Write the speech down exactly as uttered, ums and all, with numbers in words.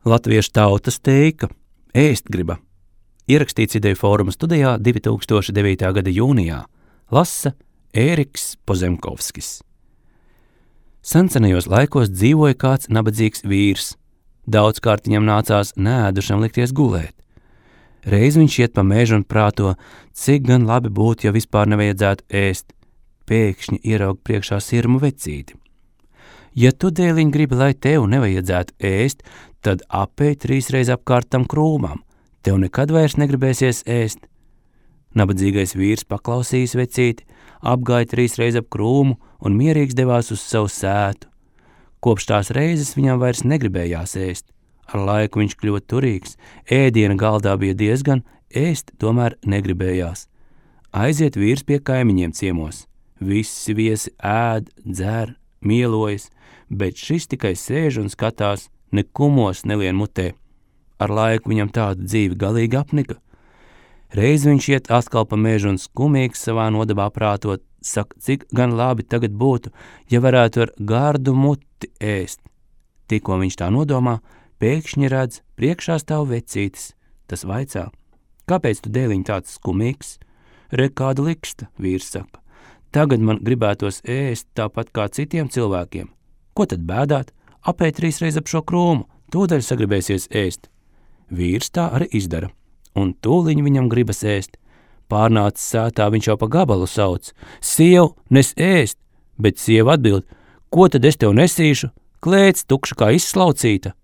Latviešu tautas teika ēst griba. Ierakstīts Ideju fóruma studijā divi tūkstoši devītā gada jūnijā. Lasa Ēriks Pozemkovskis. Sencenajos laikos dzīvoja kāds nabadzīgs vīrs. Daudzkārt viņam nācās neēdušam likties gulēt. Reiz viņš iet pa mežu un prāto, cik gan labi būtu, ja vispār nevajadzētu ēst. Pēkšņi ieraug priekšā sirmu vecīti. Ja tu, dēliņ, gribi, lai tev nevajadzētu ēst, tad apej trīsreiz apkārt tam krūmam. Tev nekad vairs negribēsies ēst. Nabadzīgais vīrs paklausījis vecīti, apgāja trīsreiz ap krūmu un mierīgs devās uz savu sētu. Kopš tās reizes viņam vairs negribējās ēst. Ar laiku viņš kļuva turīgs, ēdiena galdā bija diezgan, ēst tomēr negribējās. Aiziet vīrs pie kaimiņiem ciemos. Visi viesi ēd, dzer, mielojas, bet šis tikai sēž un skatās, ne kumos nelien mutē. Ar laiku viņam tāda dzīve galīgi apnika. Reiz viņš iet atkal pa mežu un skumīgs savā nodabā prātot, saka, cik gan labi tagad būtu, ja varētu ar gardu muti ēst. Tikko viņš tā nodomā, pēkšņi redz, priekšā stāv vecītis. Tas vaicā, kāpēc tu, dēliņ, tāds skumīgs? Re, kāda liksta, vīrs saka. Tagad man gribētos ēst tāpat kā citiem cilvēkiem. Ko tad bēdāt? Apēj trīsreiz ap šo krūmu, tūdaļ sagribēsies ēst. Vīrs tā arī izdara, un tūliņ viņam gribas ēst. Pārnācis sētā, viņš jau pa gabalu sauc. Siev, nes ēst, bet sieva atbild, ko tad es tev nesīšu? Klēts tukša kā izslaucīta.